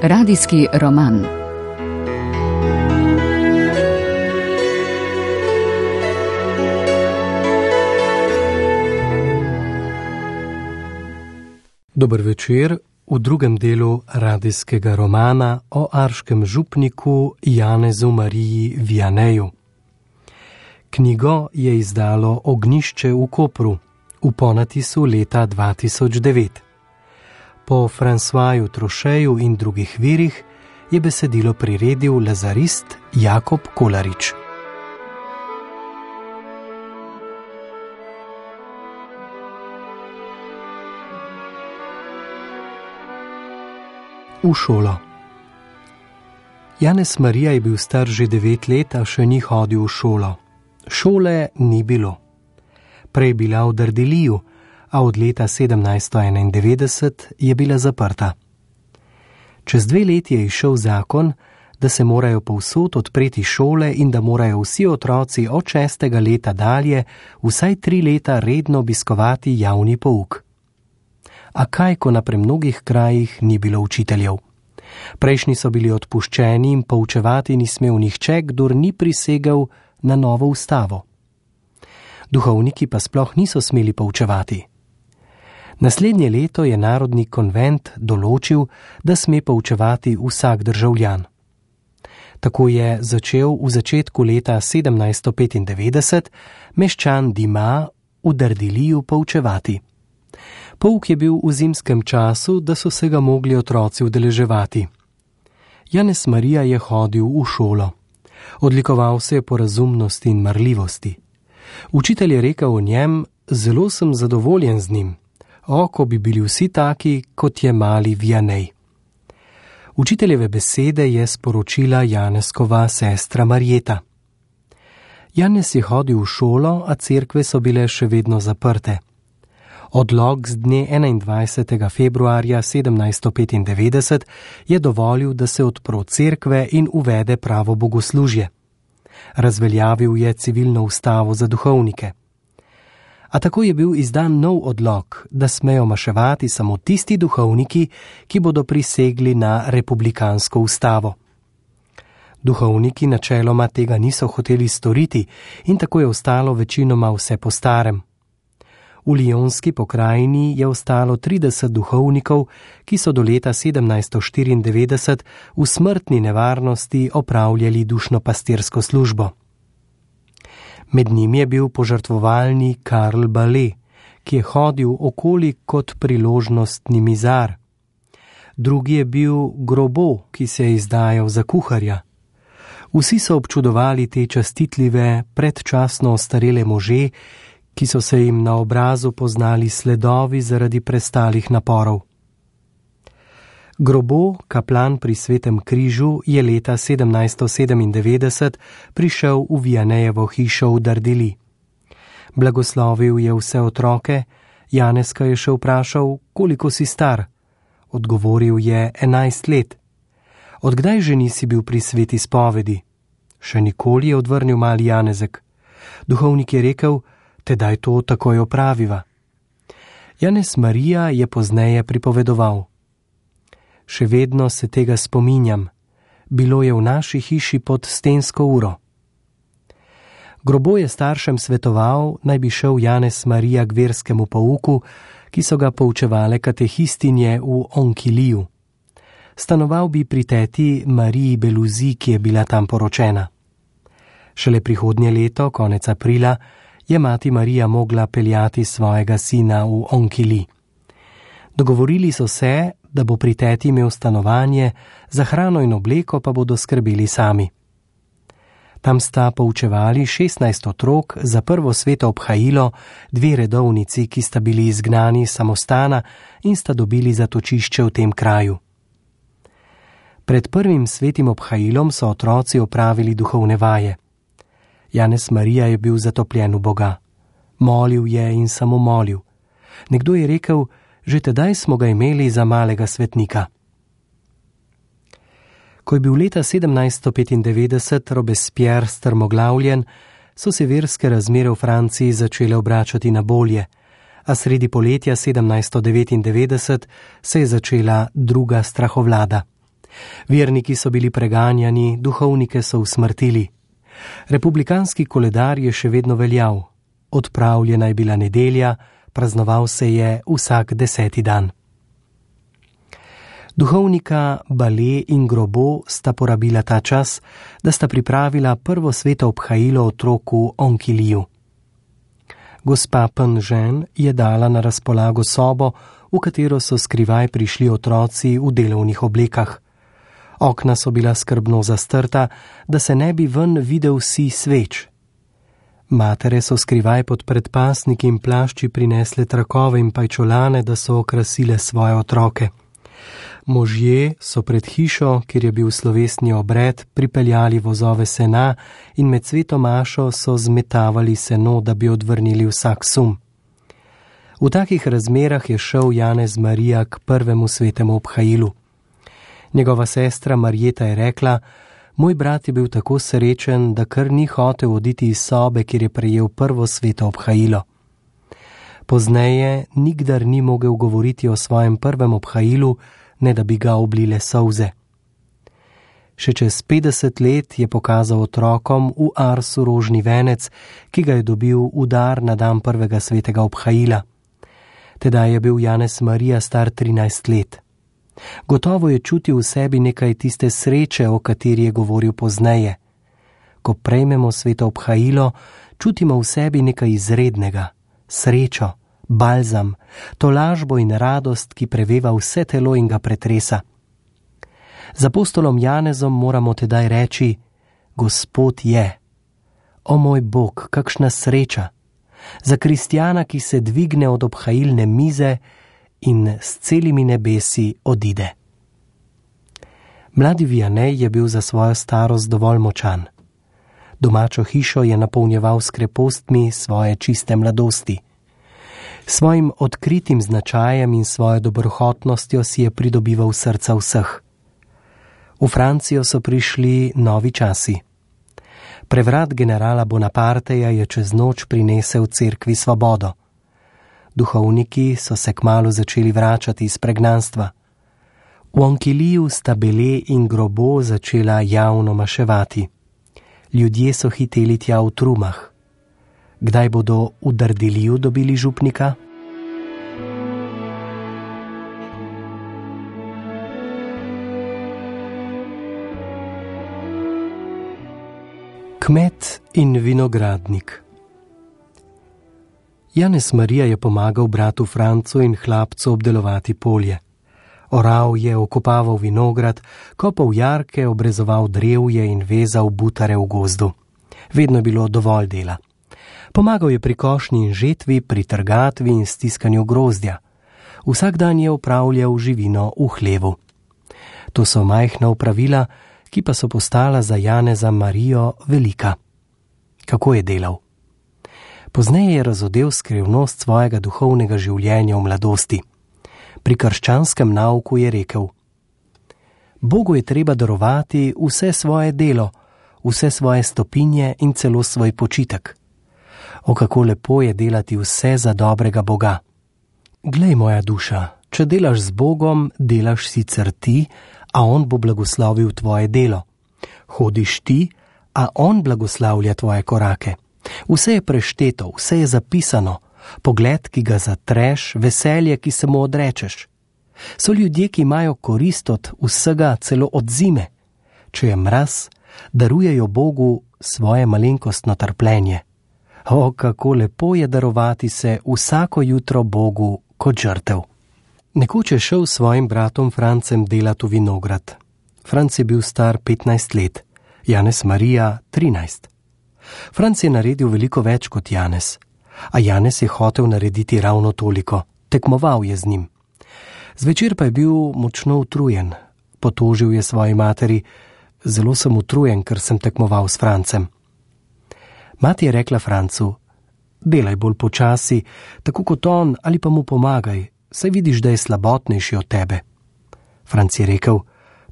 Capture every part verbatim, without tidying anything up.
Radijski roman. Dober večer v drugem delu radijskega romana o arškem župniku Janezu Mariji Vianeju. Knjigo je izdalo Ognjišče v Kopru v ponatisu leta dva tisoč devet. Po Francoisu Trocheju in drugih virih je besedilo priredil lazarist Jakob Kolarič. V šolo. Janez Marija je bil star že devet let, a še ni hodil v šolo. Šole ni bilo. Prej bila v Dardiliju, a od leta sedemnajststo enaindevetdeset je bila zaprta. Čez dve leti je izšel zakon, da se morajo povsod odpreti šole in da morajo vsi otroci od šestega leta dalje vsaj tri leta redno obiskovati javni pouk. A kaj, ko na premnogih krajih ni bilo učiteljev? Prejšnji so bili odpuščeni in poučevati ni smel nihče, kdor ni prisegel na novo ustavo. Duhovniki pa sploh niso smeli poučevati. Naslednje leto je Narodni konvent določil, da sme poučevati vsak državljan. Tako je začel v začetku leta sedemnajststo petindevetdeset meščan Dima v Dardiliju poučevati. Pouk je bil v zimskem času, da so se ga mogli otroci udeleževati. Janez Marija je hodil v šolo. Odlikoval se je po razumnosti in marljivosti. Učitelj je rekel o njem: zelo sem zadovoljen z njim. O, ko bi bili vsi taki, kot je mali Vianej. Učiteljeve besede je sporočila Janeskova sestra Marjeta. Janez je hodil v šolo, a cerkve so bile še vedno zaprte. Odlok z dne enaindvajsetega februarja sedemnajststo petindevetdeset je dovolil, da se odpro cerkve in uvede pravo bogoslužje. Razveljavil je civilno ustavo za duhovnike. A tako je bil izdan nov odlok, da smejo maševati samo tisti duhovniki, ki bodo prisegli na republikansko ustavo. Duhovniki načeloma tega niso hoteli storiti in tako je ostalo večinoma vse po starem. V Lionski pokrajini je ostalo trideset duhovnikov, ki so do leta sedemnajststo štiriindevetdeset v smrtni nevarnosti opravljali dušno-pastirsko službo. Med njimi je bil požrtvovalni Karl Bale, ki je hodil okoli kot priložnostni mizar. Drugi je bil Grobo, ki se je izdajal za kuharja. Vsi so občudovali te častitljive, predčasno ostarele može, ki so se jim na obrazu poznali sledovi zaradi prestalih naporov. Grobo, kaplan pri Svetem križu, je leta sedemnajststo sedemindevetdeset prišel v Vianejevo hišo v Dardili. Blagoslovil je vse otroke, Janezka je še vprašal, koliko si star. Odgovoril je enajst let. Od kdaj že nisi bil pri sveti spovedi? Še nikoli, je odvrnil mali Janezek. Duhovnik je rekel: tedaj to takoj opraviva. Janez Marija je pozneje pripovedoval: še vedno se tega spominjam. Bilo je v naši hiši pod stensko uro. Grobo je staršem svetoval, naj bi šel Janez Marija k verskemu pouku, ki so ga poučevale katehistinje v Onkiliju. Stanoval bi pri teti Mariji Beluzi, ki je bila tam poročena. Šele prihodnje leto, konec aprila, je mati Marija mogla peljati svojega sina v Onkili. Dogovorili so se, da bo pri teti imel stanovanje, za hrano in obleko pa bodo skrbeli sami. Tam sta poučevali šestnajst otrok za prvo sveto obhajilo, dve redovnici, ki sta bili izgnani iz samostana in sta dobili zatočišče v tem kraju. Pred prvim svetim obhajilom so otroci opravili duhovne vaje. Janez Marija je bil zatopljen v Boga. Molil je in samo molil. Nekdo je rekel: že tedaj smo ga imeli za malega svetnika. Ko je bil leta sedemnajststo petindevetdeset Robespierre strmoglavljen, so se verske razmere v Franciji začele obračati na bolje, a sredi poletja sedemnajststo devetindevetdeset se je začela druga strahovlada. Verniki so bili preganjani, duhovnike so usmrtili. Republikanski koledar je še vedno veljal. Odpravljena je bila nedelja, praznoval se je vsak deseti dan. Duhovnika Bale in Grobo sta porabila ta čas, da sta pripravila prvo sveto obhajilo otroku Onkiliju. Gospa Penžen je dala na razpolago sobo, v katero so skrivaj prišli otroci v delovnih oblekah. Okna so bila skrbno zastrta, da se ne bi ven videl si sveč. Matere so skrivaj pod predpasniki in plašči prinesle trakove in pajčolane, da so okrasile svoje otroke. Možje so pred hišo, kjer je bil slovesni obred, pripeljali vozove sena in med sveto mašo so zmetavali seno, da bi odvrnili vsak sum. V takih razmerah je šel Janez Marija k prvemu svetemu obhajilu. Njegova sestra Marjeta je rekla: moj brat je bil tako srečen, da kar ni hotel oditi iz sobe, kjer je prejel prvo sveto obhajilo. Pozneje nikdar ni mogel govoriti o svojem prvem obhajilu, ne da bi ga oblile solze. Še čez petdeset let je pokazal otrokom v Arsu rožni venec, ki ga je dobil v dar na dan prvega svetega obhajila. Tedaj je bil Janez Marija star trinajst let. Gotovo je čutil v sebi nekaj tiste sreče, o kateri je govoril pozneje. Ko prejmemo sveto obhajilo, čutimo v sebi nekaj izrednega, srečo, balzam, tolažbo in radost, ki preveva vse telo in ga pretresa. Z apostolom Janezom moramo tedaj reči: Gospod je. O moj Bog, kakšna sreča! Za kristjana, ki se dvigne od obhajilne mize in s celimi nebesi odide. Mladi Vianney je bil za svojo starost dovolj močan. Domačo hišo je napolnjeval s krepostmi svoje čiste mladosti. Svojim odkritim značajem in svojo dobrohotnostjo si je pridobival srca vseh. V Francijo so prišli novi časi. Prevrat generala Bonaparteja je čez noč prinesel cerkvi svobodo. Duhovniki so se kmalu začeli vračati iz pregnanstva. V Onkiliju sta Bele in Grobo začela javno maševati. Ljudje so hiteli tja v trumah. Kdaj bodo v Dardiliju dobili župnika? Kmet in vinogradnik. Janez Marija je pomagal bratu Francu in hlapcu obdelovati polje. Oral je, okopaval vinograd, kopal jarke, obrezoval drevje in vezal butare v gozdu. Vedno je bilo dovolj dela. Pomagal je pri košnji in žetvi, pri trgatvi in stiskanju grozdja. Vsak dan je opravljal živino v hlevu. To so majhna opravila, ki pa so postala za Janeza Marijo velika. Kako je delal? Pozneje je razodel skrivnost svojega duhovnega življenja v mladosti. Pri krščanskem nauku je rekel: Bogu je treba darovati vse svoje delo, vse svoje stopinje in celo svoj počitek. O, kako lepo je delati vse za dobrega Boga. Glej, moja duša, če delaš z Bogom, delaš sicer ti, a On bo blagoslovil tvoje delo. Hodiš ti, a On blagoslavlja tvoje korake. Vse je prešteto, vse je zapisano, pogled, ki ga zatreš, veselje, ki se mu odrečeš. So ljudje, ki imajo korist od vsega, celo od zime. Če je mraz, darujejo Bogu svoje malenkostno trpljenje. O, kako lepo je darovati se vsako jutro Bogu kot žrtev. Nekoč je šel s svojim bratom Francem delat v vinograd. Franc je bil star petnajst let, Janez Marija trinajst. Franc je naredil veliko več kot Janez, a Janez je hotel narediti ravno toliko, tekmoval je z njim. Zvečer pa je bil močno utrujen, potožil je svoji materi: Zelo sem utrujen, ker sem tekmoval s Francem. Mati je rekla Francu: Delaj bolj počasi, tako kot on, ali pa mu pomagaj, saj vidiš, da je slabotnejši od tebe. Franc je rekel: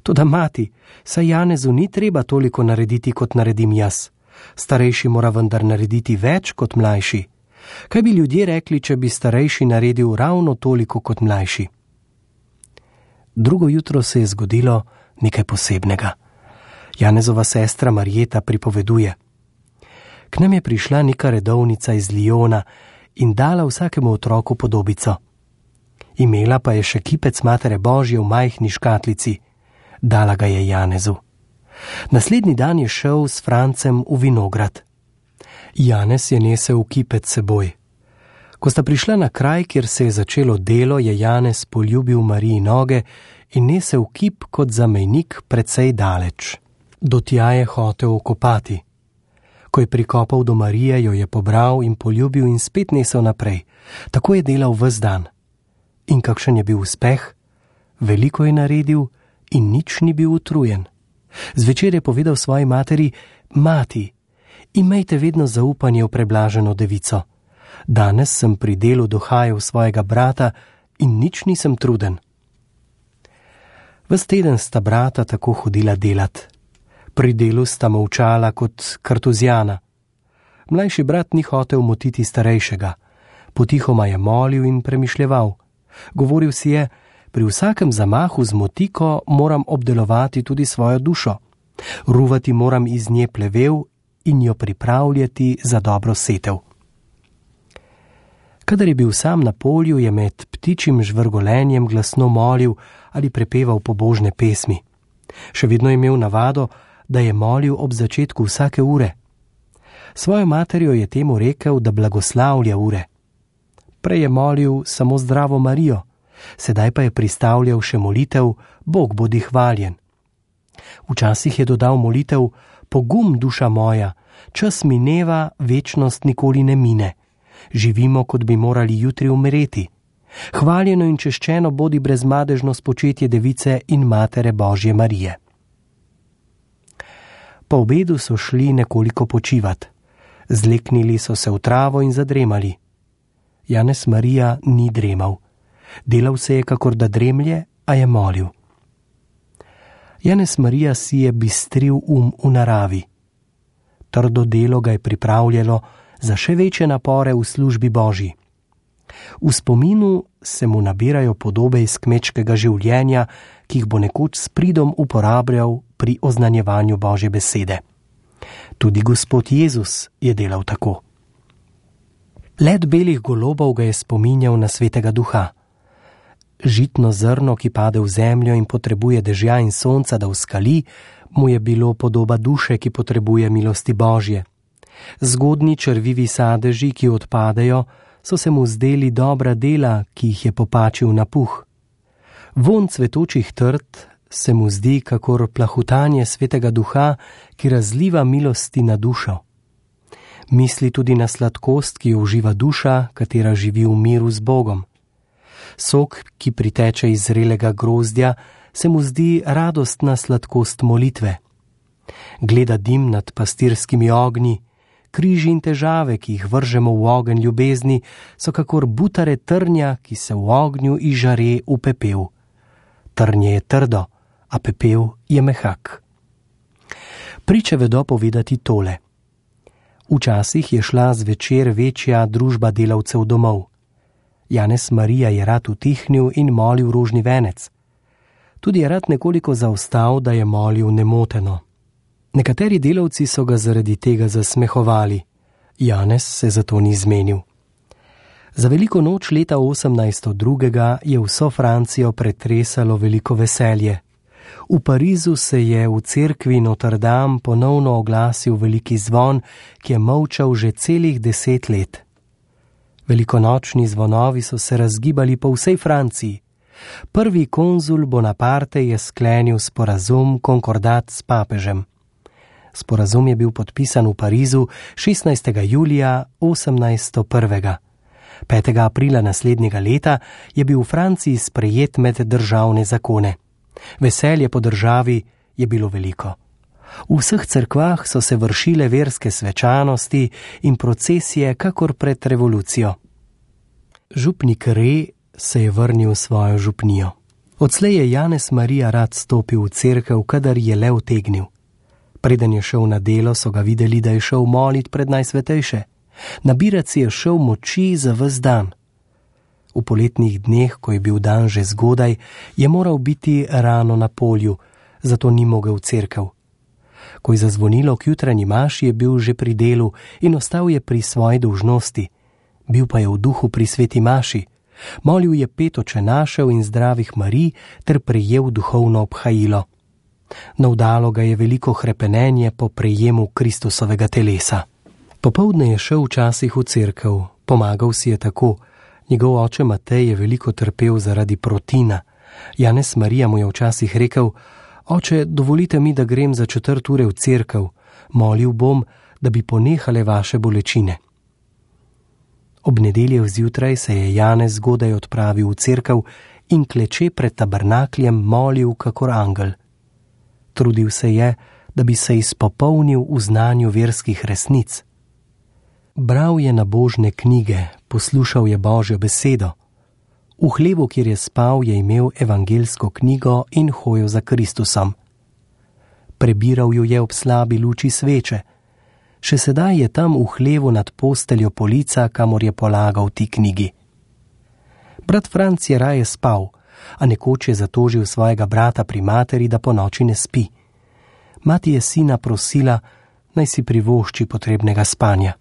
Toda mati, saj Janezu ni treba toliko narediti, kot naredim jaz. Starejši mora vendar narediti več kot mlajši. Kaj bi ljudje rekli, če bi starejši naredil ravno toliko kot mlajši? Drugo jutro se je zgodilo, nekaj posebnega. Janezova sestra Marjeta pripoveduje: K nam je prišla neka redovnica iz Lijona in dala vsakemu otroku podobico. Imela pa je še kipec Matere Božje v majhni škatlici. Dala ga je Janezu. Naslednji dan je šel s Francem v vinograd. Janez je nesel kipec seboj. Ko sta prišla na kraj, kjer se je začelo delo, je Janez poljubil Mariji noge in nesel kip kot zamejnik precej daleč. Do tja je hotel okopati. Ko je prikopal do Marije, jo je pobral in poljubil in spet nesel naprej. Tako je delal ves dan. In kakšen je bil uspeh? Veliko je naredil in nič ni bil utrujen. Zvečer je povedal svoji materi: Mati, imejte vedno zaupanje v preblaženo devico. Danes sem pri delu dohajal svojega brata in nič nisem truden. Ves teden sta brata tako hodila delat. Pri delu sta molčala kot kartuzijana. Mlajši brat ni hotel motiti starejšega. Potihoma je molil in premišljeval. Govoril si je: pri vsakem zamahu z motiko moram obdelovati tudi svojo dušo. Ruvati moram iz nje plevel in jo pripravljati za dobro setev. Kadar je bil sam na polju, je med ptičjim žvrgolenjem glasno molil ali prepeval pobožne pesmi. Še vedno je imel navado, da je molil ob začetku vsake ure. Svojo materjo je temu rekel, da blagoslavlja ure. Prej je molil samo Zdravo Marijo, sedaj pa je pristavljal še molitev Bog bodi hvaljen. Včasih je dodal molitev: Pogum, duša moja, čas mineva, večnost nikoli ne mine. Živimo, kot bi morali jutri umreti. Hvaljeno in češčeno bodi brezmadežno spočetje device in Matere Božje Marije. Po obedu so šli nekoliko počivat. Zleknili so se v travo in zadremali. Janez Marija ni dremal. Delal se je, kakor da dremlje, a je molil. Janez Marija si je bistril um v naravi. Trdo delo ga je pripravljalo za še večje napore v službi Božji. V spominu se mu nabirajo podobe iz kmečkega življenja, ki jih bo nekoč s pridom uporabljal pri oznanjevanju Božje besede. Tudi Gospod Jezus je delal tako. Let belih golobov ga je spominjal na Svetega Duha. Žitno zrno, ki pade v zemljo in potrebuje dežja in sonca, da vzkali, mu je bilo podoba duše, ki potrebuje milosti Božje. Zgodnji črvivi sadeži, ki odpadejo, so se mu zdeli dobra dela, ki jih je popačil na puh. Vonj cvetočih trt se mu zdi kakor plahutanje Svetega Duha, ki razliva milosti na dušo. Misli tudi na sladkost, ki jo uživa duša, katera živi v miru z Bogom. Sok, ki priteče iz zrelega grozdja, se mu zdi radostna sladkost molitve. Gleda dim nad pastirskimi ognji, križi in težave, ki jih vržemo v ogenj ljubezni, so kakor butare trnja, ki se v ognju izžare v pepel. Trnje je trdo, a pepel je mehak. Priče vedo povedati tole. Včasih je šla zvečer večja družba delavcev domov. Janez Marija je rad utihnil in molil rožni venec. Tudi je rad nekoliko zaostal, da je molil nemoteno. Nekateri delavci so ga zaradi tega zasmehovali. Janez se zato ni zmenil. Za veliko noč leta osemnajsto drugega je vso Francijo pretresalo veliko veselje. V Parizu se je v cerkvi Notre Dame ponovno oglasil veliki zvon, ki je molčal že celih deset let. Velikonočni zvonovi so se razgibali po vsej Franciji. Prvi konzul Bonaparte je sklenil sporazum, konkordat s papežem. Sporazum je bil podpisan v Parizu šestnajstega julija osemnajsto prvega. petega aprila naslednjega leta je bil v Franciji sprejet med državne zakone. Veselje po državi je bilo veliko. V vseh cerkvah so se vršile verske svečanosti in procesije kakor pred revolucijo. Župnik Re se je vrnil v svojo župnijo. Odslej je Janez Marija rad stopil v cerkev, kadar je le utegnil. Preden je šel na delo, so ga videli, da je šel molit pred najsvetejše. Nabirat si je šel moči za ves dan. V poletnih dneh, ko je bil dan že zgodaj, je moral biti rano na polju, zato ni mogel v cerkev. Ko je zazvonilo k jutranji maši, je bil že pri delu in ostal je pri svoji dolžnosti. Bil pa je v duhu pri sveti maši. Molil je pet očenašev in zdravih Marij ter prejel duhovno obhajilo. Navdalo ga je veliko hrepenenje po prejemu Kristusovega telesa. Popoldne je šel včasih v cerkev, pomagal si je tako. Njegov oče Matej je veliko trpel zaradi protina. Janez Marija mu je včasih rekel: Oče, dovolite mi, da grem za četrt ure v cerkev. Molil bom, da bi ponehale vaše bolečine. Ob nedeljev zjutraj se je Janez zgodaj odpravil v cerkev in kleče pred tabernakljem molil kakor angel. Trudil se je, da bi se izpopolnil v znanju verskih resnic. Bral je nabožne knjige, poslušal je Božjo besedo. V hlevu, kjer je spal, je imel evangelsko knjigo in hojil za Kristusom. Prebiral jo je ob slabi luči sveče. Še sedaj je tam v hlevu nad posteljo polica, kamor je polagal ti knjigi. Brat Franc je raje spal, a nekoč je zatožil svojega brata pri materi, da po noči ne spi. Mati je sina prosila, naj si privošči potrebnega spanja.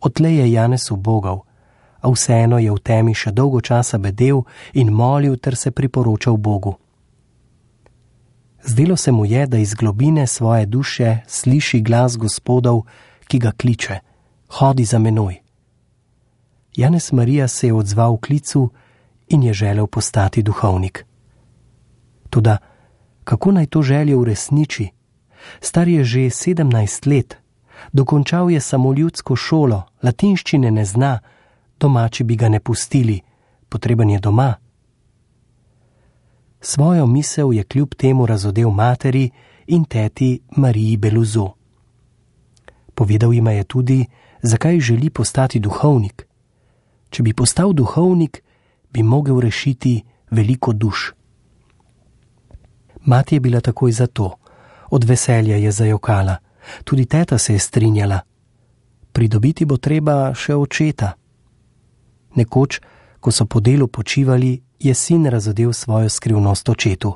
Odtlej je Janez ubogal, a vseeno je v temi še dolgo časa bedel in molil ter se priporočal Bogu. Zdelo se mu je, da iz globine svoje duše sliši glas Gospodov, ki ga kliče: Hodi za menoj. Janez Marija se je odzval v klicu in je želel postati duhovnik. Toda kako naj to željo uresniči? Star je že sedemnajst let, dokončal je samo ljudsko šolo, latinščine ne zna, domači bi ga ne pustili, potreben je doma. Svojo misel je kljub temu razodel materi in teti Mariji Beluzo. Povedal jima je tudi, zakaj želi postati duhovnik. Če bi postal duhovnik, bi mogel rešiti veliko duš. Mati je bila takoj za to, od veselja je zajokala, tudi teta se je strinjala. Pridobiti bo treba še očeta. Nekoč, ko so po delu počivali, je sin razodel svojo skrivnost očetu.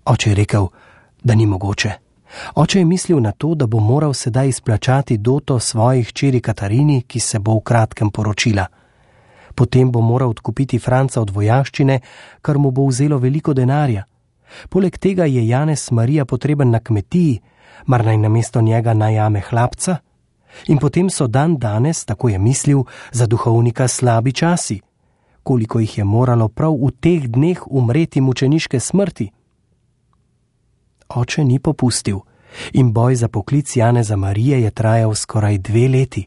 Oče je rekel, da ni mogoče. Oče je mislil na to, da bo moral sedaj izplačati doto svojih hčeri Katarini, ki se bo v kratkem poročila. Potem bo moral odkupiti Franca od vojaščine, kar mu bo vzelo veliko denarja. Poleg tega je Janez Marija potreben na kmetiji, mar naj namesto njega najame hlapca? In potem so dan danes, tako je mislil, za duhovnika slabi časi. Koliko jih je moralo prav v teh dneh umreti mučeniške smrti? Oče ni popustil in boj za poklic Janeza Marije je trajal skoraj dve leti.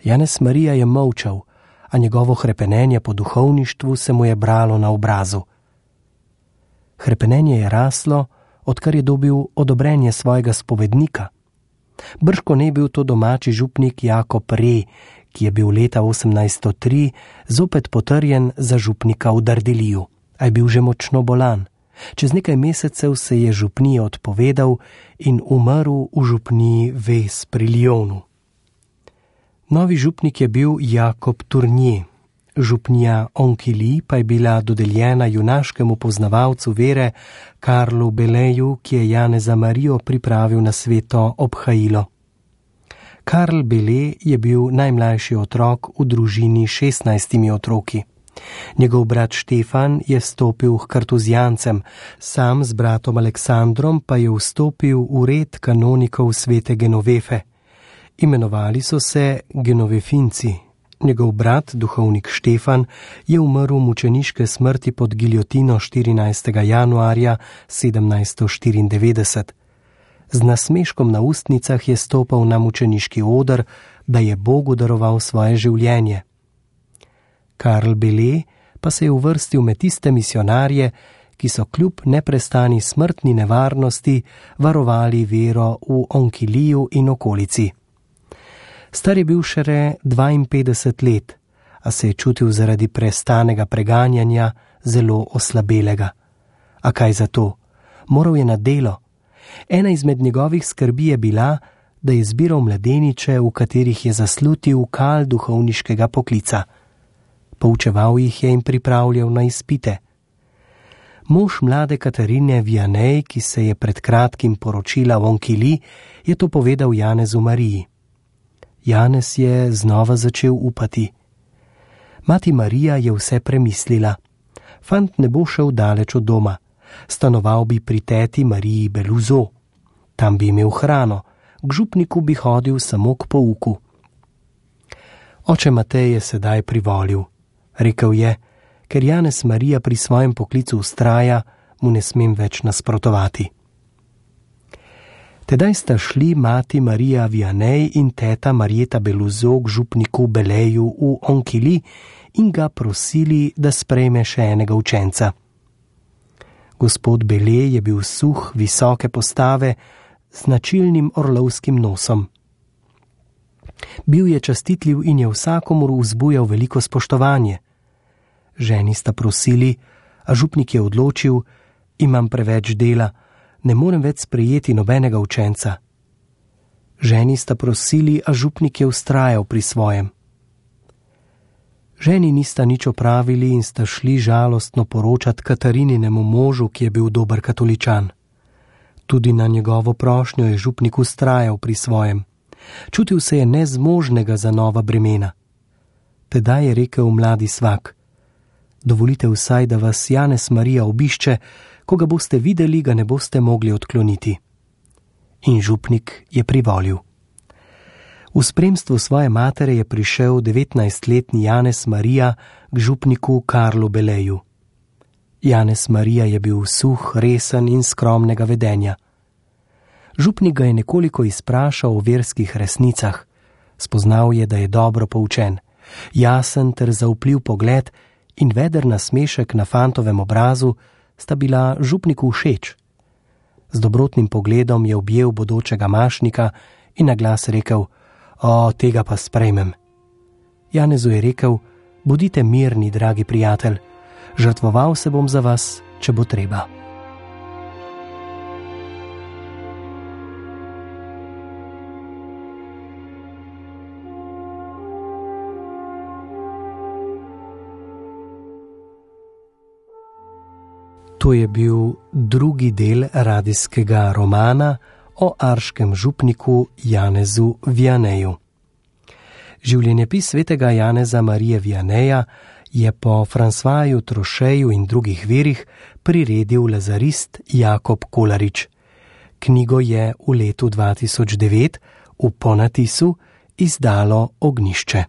Janez Marija je molčal, a njegovo hrepenenje po duhovništvu se mu je bralo na obrazu. Hrepenenje je raslo, odkar je dobil odobrenje svojega spovednika. Brško ne bil to domači župnik Jakob Re, ki je bil leta osemnajststo tri zopet potrjen za župnika v Dardiliju, a je bil že močno bolan. Čez nekaj mesecev se je župniji odpovedal in umrl v župniji Ves pri Lyonu. Novi župnik je bil Jakob Tournier. Župnija Onquilly pa je bila dodeljena junaškemu poznavalcu vere Karlu Beleju, ki je Janeza Marijo pripravil na sveto obhajilo. Karl Bele je bil najmlajši otrok v družini s šestnajstimi otroki. Njegov brat Štefan je vstopil k kartuzijancem, sam z bratom Aleksandrom pa je vstopil v red kanonikov svete Genovefe. Imenovali so se Genovefinci. Njegov brat, duhovnik Štefan, je umrl mučeniške smrti pod giljotino štirinajstega januarja sedemnajststo štiriindevetdeset. Z nasmeškom na ustnicah je stopal na mučeniški oder, da je Bogu daroval svoje življenje. Karl Bele pa se je uvrstil med tiste misionarje, ki so kljub neprestani smrtni nevarnosti varovali vero v Onquillyju in okolici. Star je bil šele dvainpetdeset let, a se je čutil zaradi prestanega preganjanja zelo oslabelega. A kaj za to? Moral je na delo. Ena izmed njegovih skrbi je bila, da je zbiral mladeniče, v katerih je zaslutil kal duhovniškega poklica. Poučeval jih je in pripravljal na izpite. Mož mlade Katarine Vianney, ki se je pred kratkim poročila v Onquilly, je to povedal Janezu Mariji. Janez je znova začel upati. Mati Marija je vse premislila. Fant ne bo šel daleč od doma. Stanoval bi pri teti Mariji Beluzo. Tam bi imel hrano, k župniku bi hodil samo k pouku. Oče Matej je sedaj privolil. Rekel je, ker Janez Marija pri svojem poklicu vztraja, mu ne smem več nasprotovati. Tedaj sta šli mati Marija Vianney in teta Marieta Beluzo k župniku Beleju v Onquilly in ga prosili, da sprejme še enega učenca. Gospod Bele je bil suh, visoke postave, z značilnim orlovskim nosom. Bil je častitljiv in je vsakomur vzbujal veliko spoštovanje. Ženi sta prosili, a župnik je odločil, imam preveč dela, ne morem več sprejeti nobenega učenca. Ženi sta prosili, a župnik je vztrajal pri svojem. Ženi nista nič opravili in sta šli žalostno poročat Katarininem možu, ki je bil dober katoličan. Tudi na njegovo prošnjo je župnik vztrajal pri svojem. Čutil se je nezmožnega za nova bremena. Tedaj je rekel mladi svak: dovolite vsaj, da vas Janez Marija obišče, ko ga boste videli, ga ne boste mogli odkloniti. In župnik je privolil. V spremstvu svoje matere je prišel devetnajstletni Janez Marija k župniku Karlu Beleju. Janez Marija je bil suh, resen in skromnega vedenja. Župnik ga je nekoliko izprašal o verskih resnicah. Spoznal je, da je dobro poučen, jasen ter zaupljiv pogled in veder nasmešek na fantovem obrazu sta bila župniku všeč. Z dobrotnim pogledom je objel bodočega mašnika in na glas rekel: o, tega pa sprejmem. Janezu je rekel: bodite mirni, dragi prijatelj, žrtvoval se bom za vas, če bo treba. To je bil drugi del radijskega romana o arškem župniku Janezu Vianneyju. Življenjepis svetega Janeza Marije Vianneya je po Françoisu Trocheju in drugih virih priredil lazarist Jakob Kolarič. Knjigo je v letu dva tisoč devet v ponatisu izdalo Ognjišče.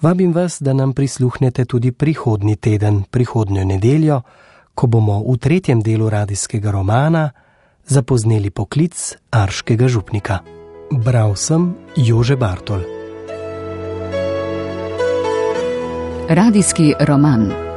Vabim vas, da nam prisluhnete tudi prihodnji teden, prihodnjo nedeljo, ko bomo v tretjem delu radijskega romana zapozneli poklic arškega župnika. Bral sem Jože Bartol. Radijski roman.